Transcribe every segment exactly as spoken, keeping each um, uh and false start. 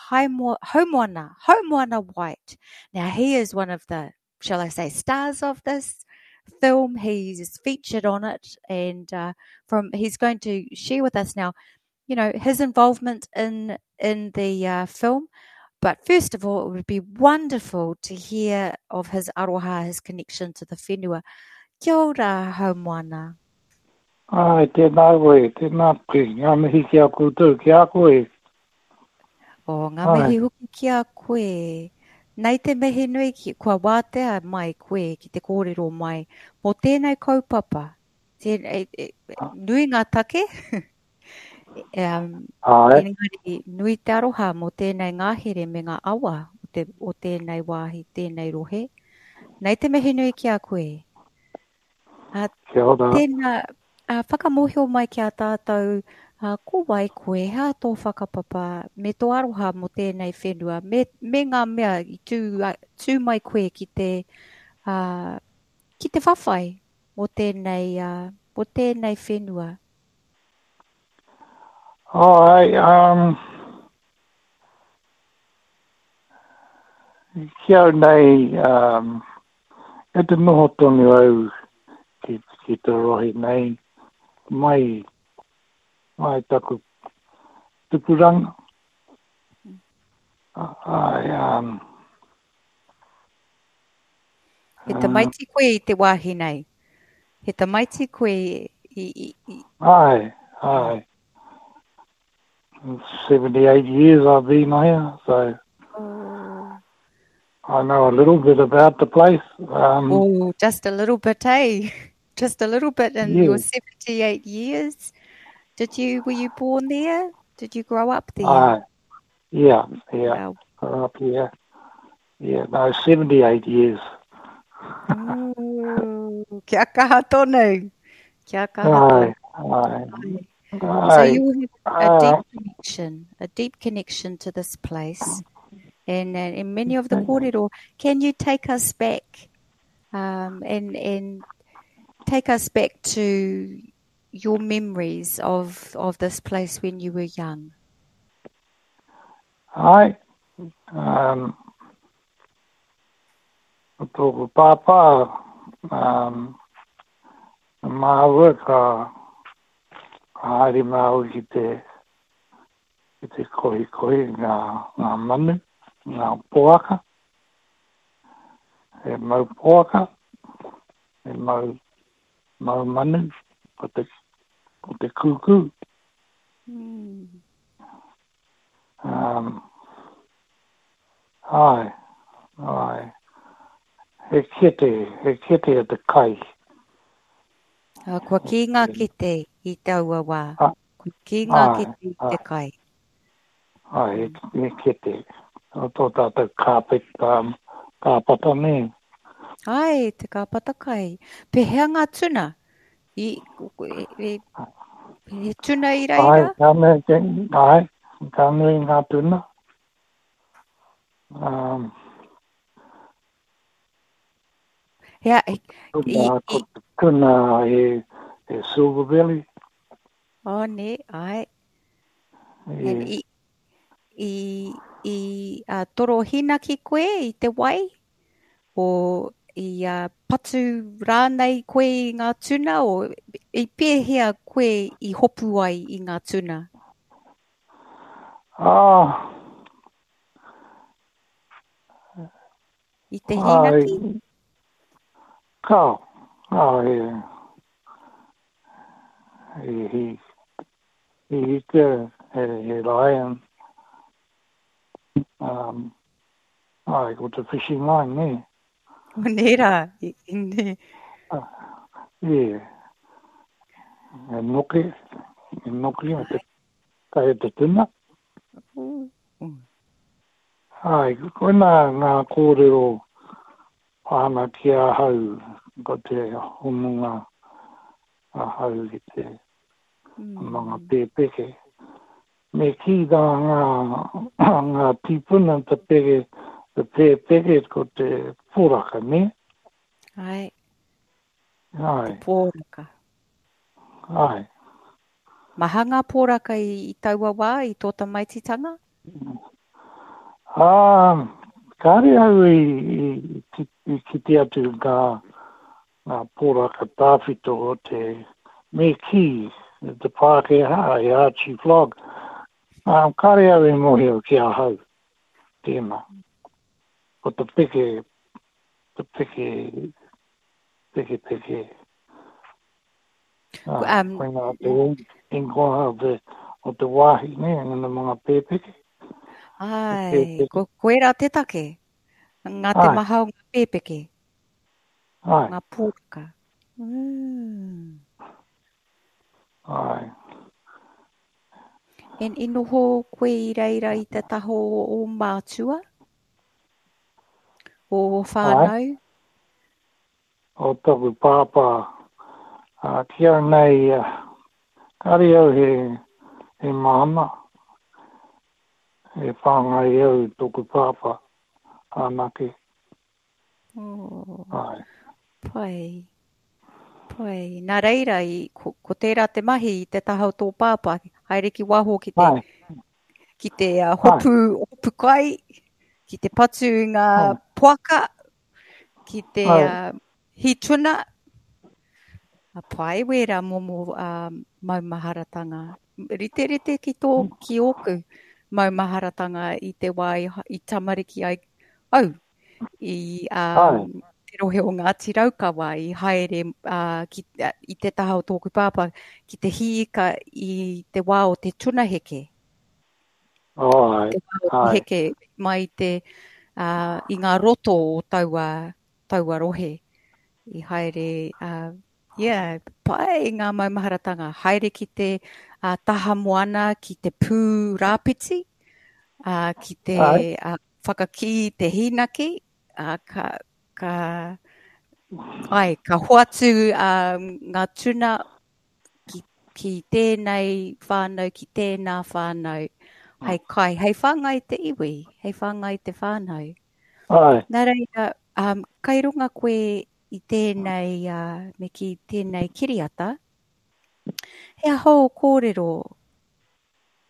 Haimo, Haumoana, Haumoana White. Now, he is one of the, shall I say, stars of this film. He's featured on it, and uh, from he's going to share with us now, you know, his involvement in in the uh, film. But first of all, it would be wonderful to hear of his aroha, his connection to the whenua. Kia ora, Haumoana. Ai, tēnā koe, tēnā koe, ngā mihi ki a koutou, ki a koe. O, ngā mihi hoki ki a koe. Nei te mihi nui ki, kua wātea mai koe ki te kōrero mai mō tēnei kaupapa. Tēnei, e, e, nui ngā take. um, Ai. Engari, nui te aroha mō tēnei ngahere me ngā awa o, te, o tēnei wāhi, tēnei rohe. Nei te mihi nui ki a koe. Uh, Kia ora. Tēnā, uh, whakamōhio mai ki a tātou, uh, ko wai koe, hea tō whakapapa, me tō aroha mō tēnei whenua, me, me ngā mea i tū, tū mai koe ki te, uh, ki te whawhai mō tēnei, uh, mō tēnei whenua. Ai, um, ki au nei, um, e te noho tonu au ki, ki te rohe nei, mai, mai taku tupuranga. Ai, um, He tamaiti koe i te wāhi nei? He tamaiti koe i... i, i... Ai, ai. seventy-eight years I've been here, so oh. I know a little bit about the place. Um, oh, just a little bit, eh? Just a little bit in yeah. your seventy-eight years. Did you, were you born there? Did you grow up there? Uh, yeah, yeah. Wow. Grew up here. Yeah, no, seventy-eight years. Oh, kia kaha tonu. Kia kaha Ai, tonu. ai. Ai. So Ai, you have a deep uh, connection, a deep connection to this place, and, uh, and many of the kōrero. Can you take us back, um, and, and take us back to your memories of, of this place when you were young? Ai, um, ko tōku pāpā, um, māua ka, ka haere māua ki te, ki te kohi kohi ngā, ngā manu, ngā poaka, he mau poaka, he mau, mau manu, ko te, ko te kūkū. Mm. Um, ai, ai. He kete, he kete e te kai. Uh, kua ki ngā kete i taua wā. Ah, Kua ki ngā ai, kete i te ai. kai. Ai, he, he kete. O tō tātou kāpet, um, kāpata nē. Ai, te kāpata kai. Pehea ngā tuna? I, e, e, he tuna i Ai, reira? ka nui, ai, ka nui ngā tuna. Um, Hea, i, tuna, i, ko te tuna he, he silver belly. Oh, nē, ai. E, And i, i, i uh, toro hinaki koe i te wai? O i uh, patu rānei koe i ngā tuna? O i pēhea koe i hopu ai i ngā tuna? Ah. I te Ai, hinaki? Kao, ai, he, he, he ika, he, he lion. Um, ai, ko te fishing line, nē. O nē rā, i, i nē. Ah, yeah. E noke, e noke o te kai te tuna. Mm. Ai, koina ngā kōrero pāna ki ahau, ko te hononga ahau ki te Mm. mga pēpeke. Me kī rā ngā, ngā tīpuna te pere, te pēpeke ko te poraka, ne? Ai. Ai. Te poraka. Ai. Maha ngā poraka i, i taua wā, i tō tamaititanga? Ah, kāre au i, i, i, i kite atu ngā, ngā poraka tāwhito o te me kī, te Pākehā, e Archie Vlog. Um, kāre au i mōhio ki ahau, tēnā. Ko te peke, te peke, peke peke. Ah, Um, koinā te ingoa o te, o te wāhi, ne, ngā mga pēpeke. Ai, Pēpeke. ko koera te take. Ngā te Ai. maha o ngā pēpeke. Ai. Ngā pōraka. Mm. Ai. En i noho koe i reira i te taha o o mātua? O o whānau? O taku pāpā. Uh, ki au nei, uh, kāre au he, he māma. E whāngai au i tōku pāpā anake. Oh, Ai. pai. Pai. Nā reira, i, ko, ko tērā te mahi i te taha o tō pāpā, haere ki waho ki te, Ai. ki te uh, hopu, hopu kai, ki te patu i ngā Ai. poaka, ki te Ai. uh, hituna. A pai wērā momo uh, maumaharatanga. Rite rite ki tō, ki ōku maumaharatanga i te wā i, i tamariki ai au i Ai. um, te rohe o Ngāti Raukawa i haere uh, ki, uh, i te taha o tōku pāpā ki te hīika i te wā o te tunaheke. Ai. Te wā o te Ai. heke mai te, uh, i ngā roto o taua, taua rohe. I haere, uh, yeah, pai ngā maumaharatanga. Haere ki te uh, taha moana, ki te pū rāpiti, uh, ki te Ai. uh, whakakī te hīnaki, uh, ka, ka, ai, ka hoatu um, ngā tuna ki, ki tēnei whānau, ki tēnā whānau, hei kai, hei whāngai te iwi, hei whāngai te whānau. Ai. Nā reira, um, kai runga koe i tēnei, uh, me ki tēnei kiriata, he aha o kōrero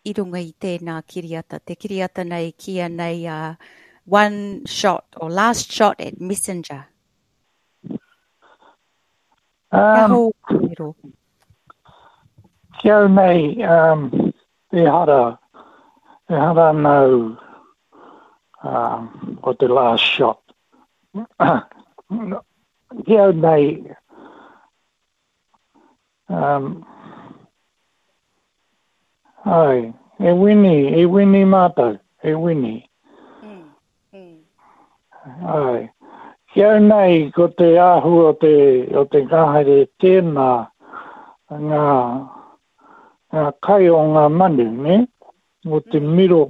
i runga i tēnā kiriata, te kiriata nei kia nei uh, One Shot or Last Shot at Messenger. He aha Um, o kōrero? ki au nei, um, ehara, ehara nau um, o te last shot. Ki au nei, um, ai, e wini, e wini mātou, e wini. Mm, mm. Ai. Ki au nei, ko te āhua o te, o te ngahere tēnā, ngā, ngā kai o ngā manu, ne? O te Mm. miro,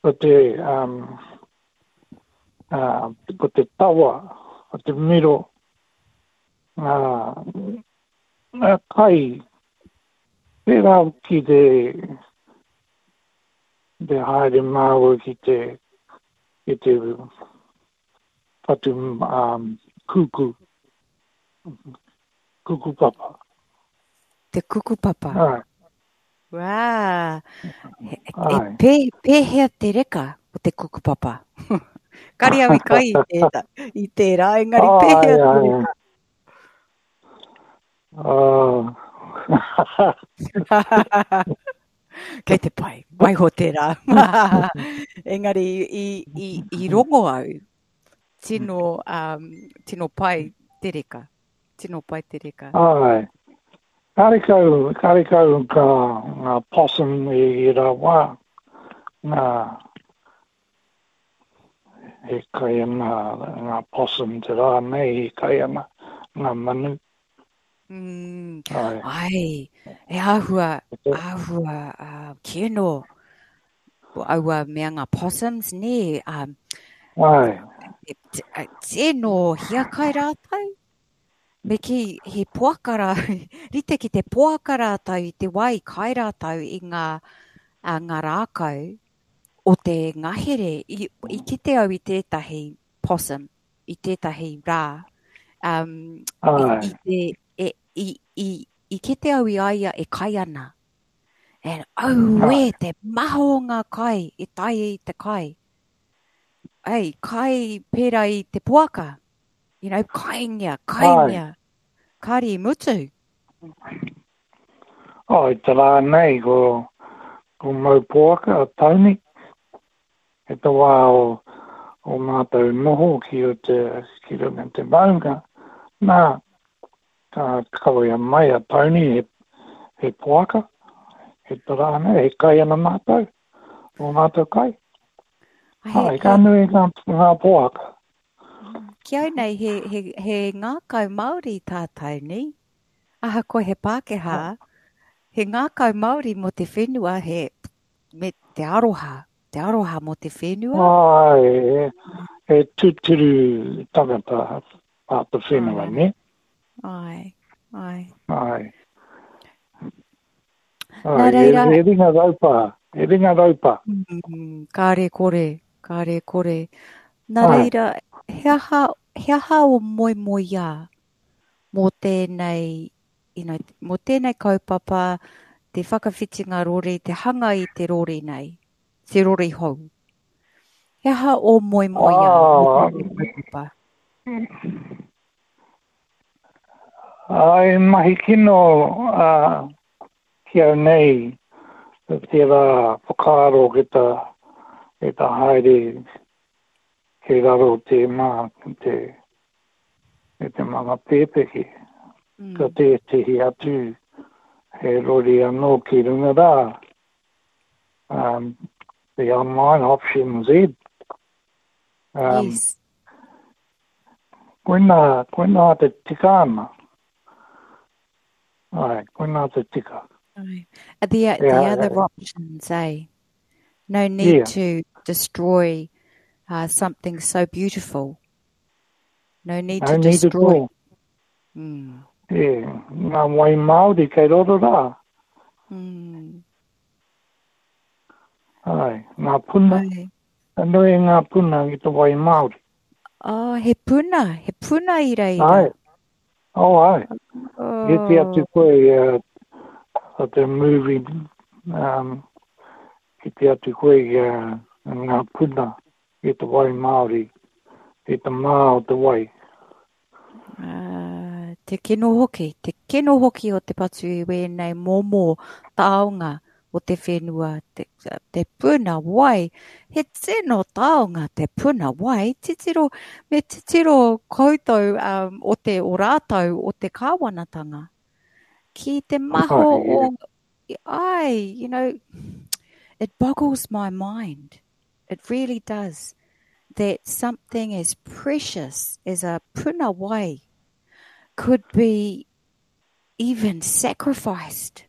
o te, um, uh, ko te tawa, o te miro, ngā, ngā kai, pērā ki te, te haere māua ki te, ki te patu um, kuku, kuku papa. Te kuku papa. Ai, Wā. He, e ai. pē, pēhea te reka o te kuku papa? Kare au i kai i tērā, i tērā, engari Ai, pēhea te ai. reka? Oh. Kei te pai, waiho tērā. Engari i, i, i rongo au, tino, um, tino pai te reka. Tino pai te reka. Ai. Karekau, karekau ka ngā possum i i rā wā, ngā e kai ana ngā possum te rā nei e kai ana ngā manu. Mm, Ai. ai, e āhua, āhua uh, kino aua mea ngā possums, nē, um, Ai. e, t- e, tino hiakai rātou. Me ki he poaka rā, rite ki te poaka rātou i te wā i kai rātou i ngā, uh, ngā rākau o te ngahere. I, i kite au i tētahi possum, i tētahi rā. Um, i, Ai. i, te, e, i, i, i kite au i a ia e kai ana. And auē, Ai. te maha o ngā kai, e tae i te kai. Ei, kai pērā i te poaka. You know, kaingia, kaingia. Kāre i mutu. Oh, i te rā nei, ko, ko mau poaka, Tony. E te wā o, o mātou noho ki o te, ki runga te maunga. Nā, ka kawea mai a Tony he, he poaka. He te rā nei, he kai ana mātou. O mātou kai. He, Ai, ka nui ngā, ngā poaka. Ki au nei, he, he, he ngākau Māori tā Tony. Ahakoa he Pākehā, he ngākau Māori mō te whenua, he, me te aroha, te aroha mō te whenua. Ai, he, he tūturu tangata a te whenua, Ai. ne? Ai, ai. Ai. Nā Ai, he, reira, he ringa raupa, he ringa raupa. mm, kāre kore, kāre kore. Nā Ai. reira, he aha, he aha o moemoeā mō tēnei, you know, mō tēnei kaupapa, te whakawhitinga rori, te hanga i te rori nei, te rori hou. He aha o moemoeā mō Ah, tēnei kaupapa? ai, mahi kino uh, ki au nei, tērā whakaaro ki ta, ki ta haere ki raro te mā, te, te, te manga pēpeke. Ka Mm. tētehi atu he rori anō ki runga rā. Um, the online option Z. Um, Yes. koina, koina te tika ana. Ai, koina te tika. Ai. Uh, The, the Yeah, other options, eh? No need yeah. to destroy uh, something so beautiful. No need No to need at destroy. all. Mm. Yeah, ngā wai Māori kei roto rā. Mm. Ai, ngā puna, Ai. ka nui ngā puna i te wai Māori. Oh, he puna, he puna i reira. Ai, oh ai. Kite atu Oh, koe uh, o te movie, um, kite atu koe uh, ngā puna i te wai Māori, i te mā o te wai. ah, te kino hoki, te kino hoki o te patu i wēnei momo taonga o te whenua, te, te puna wai. He tino taonga te puna wai. Titiro, me titiro koutou um, o te o rātou o te kāwanatanga. Ki te maho Ai, o, yeah. ai, you know, it boggles my mind. It really does. That something as precious as a puna wai could be even sacrificed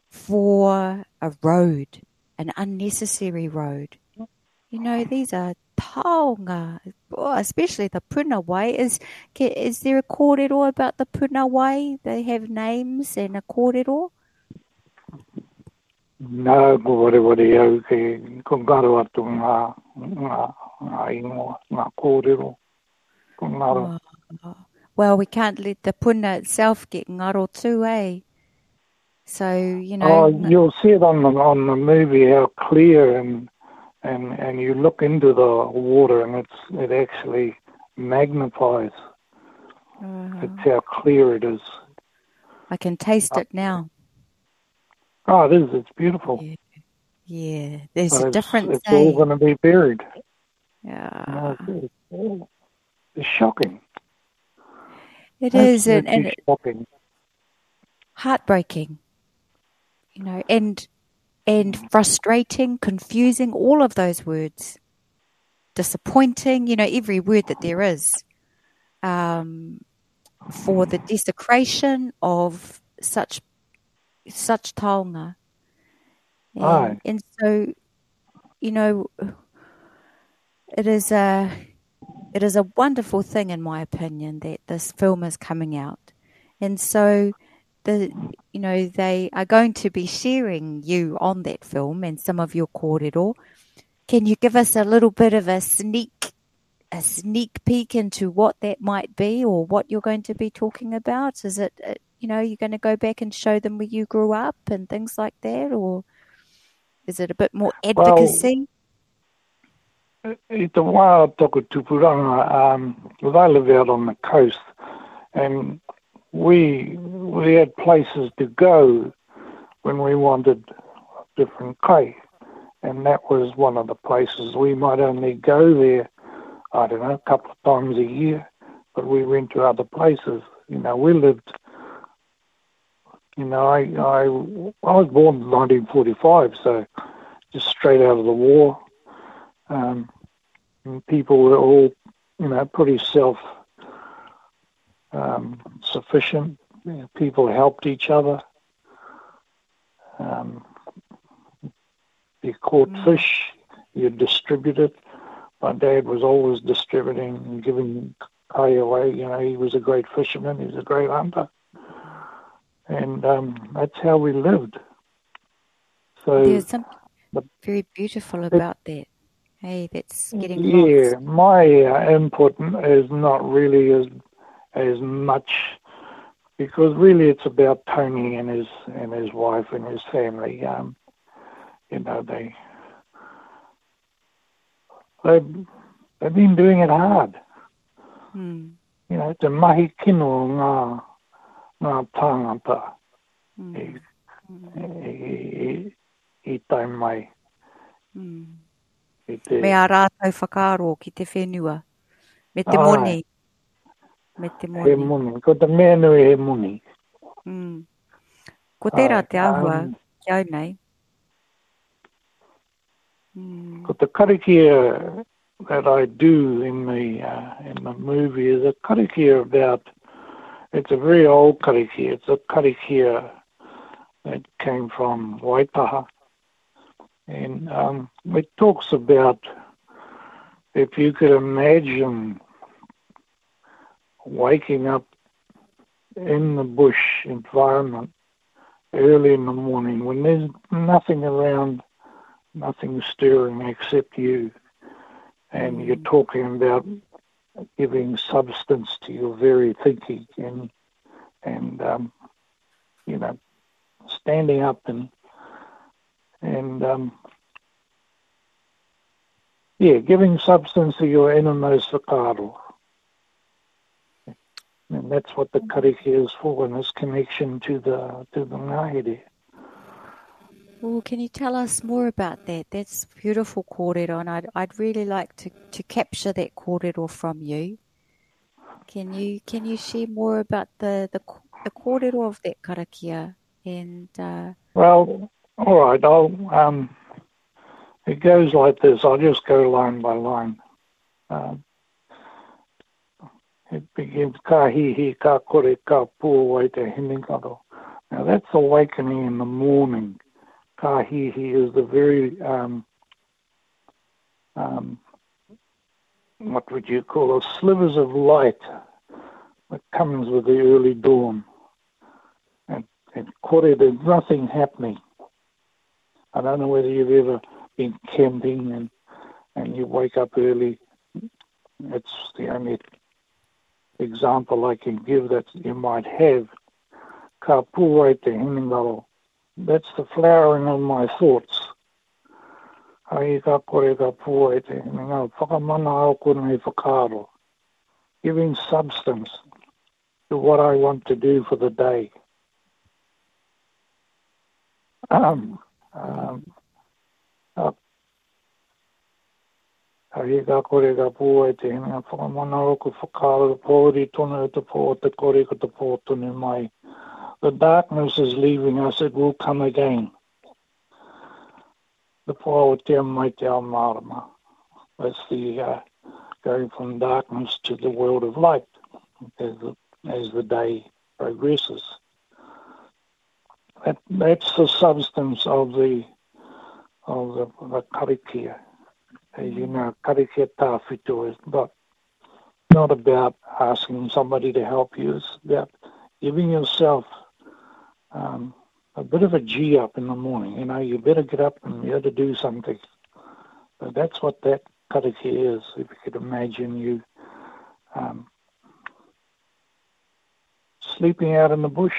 for a road, an unnecessary road. You know, these are taonga, oh, especially the puna wai. Is, is there a kōrero about the puna wai? They have names and a kōrero? Nā, ko wareware au ke ko ngaro atu ngā, ngā, ngā ingoa, ngā kōrero, ko ngaro. Oh, well, we can't let the puna itself get ngaro too, eh? So, you know, Oh, you'll see it on the, on the movie how clear and, and, and you look into the water and it's, it actually magnifies. uh, It's how clear it is. I can taste it now. Oh, it is. It's beautiful. Yeah, yeah. There's But a it's, difference, it's all eh? gonna be buried. Yeah. No, it's, it's, it's shocking. It is, and, and Absolutely it, shocking. heartbreaking, you know, and, and frustrating, confusing, all of those words. Disappointing, you know, every word that there is, um, for the desecration of such, such taonga. And, Aye. and so, you know, it is a, it is a wonderful thing, in my opinion, that this film is coming out. And so the, you know, they are going to be sharing you on that film and some of your kōrero. Can you give us a little bit of a sneak, a sneak peek into what that might be or what you're going to be talking about? Is it, uh, you know, you're gonna go back and show them where you grew up and things like that, or is it a bit more Well, advocacy? I te wā o taku tupuranga, um, I live out on the coast, and we we had places to go when we wanted different kai, and that was one of the places. We might only go there, I don't know, a couple of times a year, but we went to other places. You know, we lived, you know, I, I, I was born in nineteen forty-five, so just straight out of the war. Um, and people were all, you know, pretty self, um, sufficient. You know, people helped each other. Um, you caught Mm. fish, you distribute it. My dad was always distributing and giving kai away. You know, he was a great fisherman, he was a great hunter. And, um, that's how we lived. So there's something the, very beautiful it, about that. Hey, that's getting yeah, lost. my, uh, input is not really as, as much, because really it's about Tony and his, and his wife and his family. Um, you know, they, they, they've been doing it hard. Mm. You know, te mahi kino ngā, ngā tāngata Mm. i, Mm. i, i, i tae mai. Mm. I te Me a rātou whakaaro ki te whenua. Me te Ai. moni. Me te He moni. moni. Ko te mea nui he moni. Mm. Ko tērā Ai, te āhua um, ki au nei. Mm. Ko te karakia that I do in the, uh, in the movie is a karakia about, it's a very old karakia. It's a karakia that came from Waitaha. And, um, it talks about, if you could imagine waking up in the bush environment early in the morning when there's nothing around, nothing stirring except you, and you're Mm. talking about giving substance to your very thinking and, and, um, you know, standing up and, and, um, yeah, giving substance to your innermost whakaaro. And that's what the karakia is for, and this connection to the, to the ngahere. Well, can you tell us more about that? That's beautiful kōrero, and I'd, I'd really like to, to capture that kōrero from you. Can you, can you share more about the, the, the kōrero of that karakia? And, uh, Well, all right. I'll, um, it goes like this. I'll just go line by line. Um, it begins, ka hihi, ka kore, ka pūwai te hinengaro. Now that's awakening in the morning. Ka hihi is the very, um, um, what would you call it, slivers of light that comes with the early dawn. And, and kore, there's nothing happening. I don't know whether you've ever been camping and, and you wake up early. It's the only example I can give that you might have. Ka pūwai te hinengaro. That's the flowering of my thoughts. Ai ka kore ka pūwai te hinengaro. Whakamana au kore whakaaro. Giving substance to what I want to do for the day. Um, um, uh, Ai ka kore ka pūwai te hinengaro. Whakamana au ko whakaaro. Pōuri tonu te pō te kore ko te pō tonu mai. The darkness is leaving us, it will come again. The pō o te mai te ao mārama. That's the, uh, going from darkness to the world of light as the, as the day progresses. That, that's the substance of the, of the, the karakia. As you know, karakia tāwhito is not, not about asking somebody to help you, it's about giving yourself, um, a bit of a G up in the morning. You know, you better get up and you better do something. But that's what that karakia is. If you could imagine you, um, sleeping out in the bush,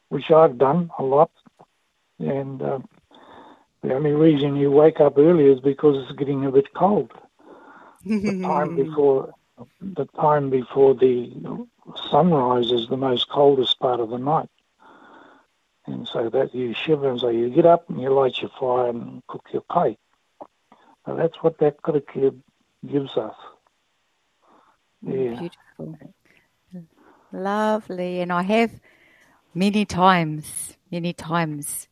which I've done a lot, and, um, The only reason you wake up early is because it's getting a bit cold. The time before the time before the sunrise is the most coldest part of the night. And so that you shiver, and so you get up and you light your fire and cook your kai. Now that's what that karakia gives us. Yeah. Beautiful. Lovely. And I have many times, many times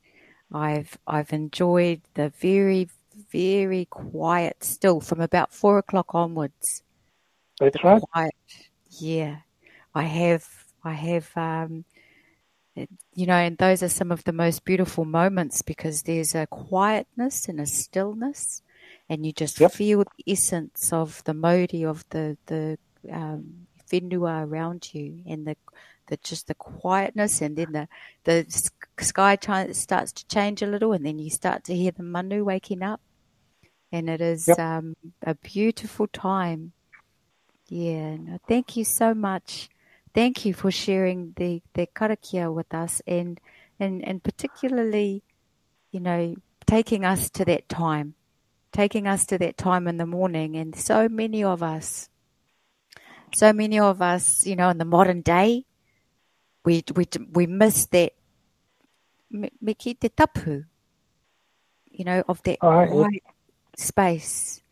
I've I've enjoyed the very, very quiet still from about four o'clock onwards. That's right. Quiet. Yeah. I have I have um you know, and those are some of the most beautiful moments because there's a quietness and a stillness, and you just Yep. feel the essence of the mauri of the, the um, whenua around you, and the, the just the quietness, and then the, the sky ch- starts to change a little, and then you start to hear the manu waking up, and it is Yep. um, a beautiful time. Yeah, no, thank you so much. Thank you for sharing the, the karakia with us, and, and, and particularly, you know, taking us to that time, taking us to that time in the morning. And so many of us, so many of us, you know, in the modern day, we, we, we miss that me, me ki te tapu, you know, of that Ai, quiet space.